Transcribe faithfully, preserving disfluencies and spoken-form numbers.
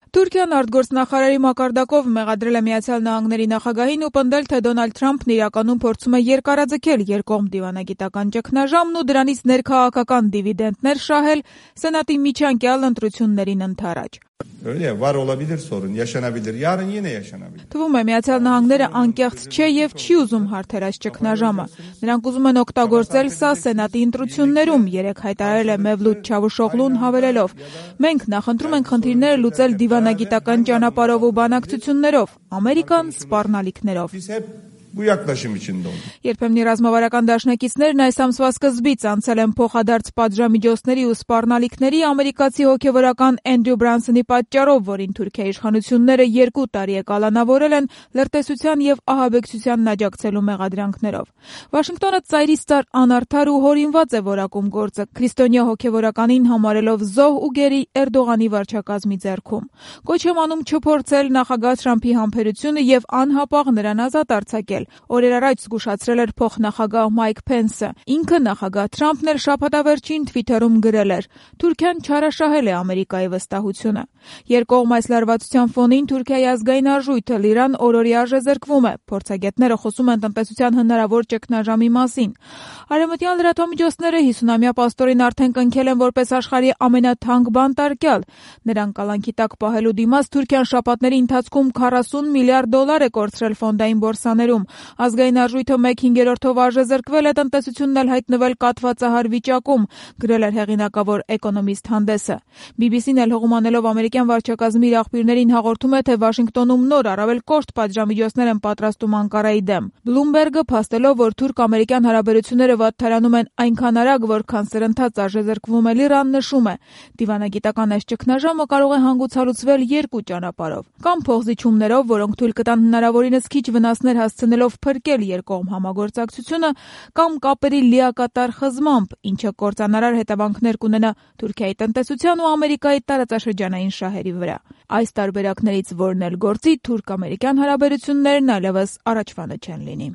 Թուրքիան արտգործնախարարի մակարդակով մեղադրել է Միացյալ Նահանգների նախագահին ու պնդել, թե Դոնալդ Թրամփն իրականում փորձում է երկարաձգել երկկողմ դիվանագիտական ճգնաժամն ու դրանից ներքաղաքական դիվիդենտներ շահել Սենատի միջանկյալ ընտրություններին ընդառաջ։ Թվում է, Միացյալ Նահանգները անկեղծ չէ եւ չի ուզում հարթերած ճգնաժամը։ Նրանք ուզում են օգտագործել սա Սենատի ընտրություններում, երեկ հայտարարել է Մևլութ Չավուշօղլուն հավելելով. «Մենք նախընտրում ենք խնդիրները լուծել դիվանագիտական ճանապարհով ու բանակցություններով, Ամերիկան սպառնալիքներով»։ Երբեմն ռազմավարական դաշնակիցներն այս ամսվա սկզբից անցել են փոխադարձ պատժամիջոցների ու սպառնալիքների ամերիկացի հոգևորական Էնդրյու Բրանսոնի պատճառով, որին Թուրքիայի իշխանությունները երկու տարի է կալանավորել են լրտեսության եւ ահաբեկչությանն աջակցելու մեղադրանքներով։ Վաշինգտոնը ծայրից ծար անարդար ու հորինված է որակում գործը, քրիստոնյա հոգևորականին համարելով զոհ ու գերի Էրդողանի վարչակազմի ձեռքում։ Կոչ եմ անում չփորձել նախագահ Թրամփի համբերությունը եւ անհապաղ նրան ազատ արձակել։ Օրեր առաջ զգուշացրել էր փոխնախագահ Մայք Փենսը։ Ինքը նախագահ Թրամփն էլ շաբաթավերջին Թվիթերում գրել էր. «Թուրքիան չարաշահել է Ամերիկայի վստահությունը»։ Երկկողմ այս լարվածության ֆոնին Թուրքիայի ազգային արժույթը Լիրան օրորի արժե զրկվում է։ Փորձագետները խոսում են տնտեսության հնարավոր ճգնաժամի մասին։ Արևմտյան լրատվամիջոցները հիսունամյա պաստորին արդեն կնքել են որպես աշխարհի ամենաթանկ բանտարկյալ։ Նրան կալանքի տակ պահելու դիմաց Թուրքիան շաբաթների ընթացքում քառասուն միլիարդ դոլար է կորցրել ֆոնդային բորսաներում։ Ազգային արժույթը մեկ հինգերորդով արժե զրկվել է, տնտեսությունն էլ հայտնվել կաթվածահար վիճակում, գրել էր հեղինակավոր Էկոնոմիստ հանդեսը։ բի բի սին էլ հողում անելով ամերիկյան վարչակազմի իր աղբյուրներին հաղորդում է, թե Վաշինգտոնում նոր առավել կոշտ պատժամիջոցներ են պատրաստում Անկարայի դեմ։ Բլումբերգը փաստելով, որ թուրք-ամերիկյան հարաբերությունները վատթարանում են այնքան արագ, որքան սրընթաց արժե զրկվում է Լիրան, նշում է. «Դիվանագիտական այս ճգնաժամը կարող է հանգուցալուծվել երկու ճանապարհով։ Կամ փոխզիջումներով, որոնք թույլ կտան հնարավորինս քիչ վնասներ հասցնելով փրկել երկկողմ համագործակցությունը, կամ կապերի լիակատար խզմամբ, ինչը կործանարար հետևանքներ կունենա Թուրքիայի տնտեսության ու Ամերիկայի տարածաշրջանային շահերի վրա։ Այս տարբերակներից որն էլ գործի, թուրք-ամերիկյան հարաբերություններն այլևս առաջվանը չեն լինի»։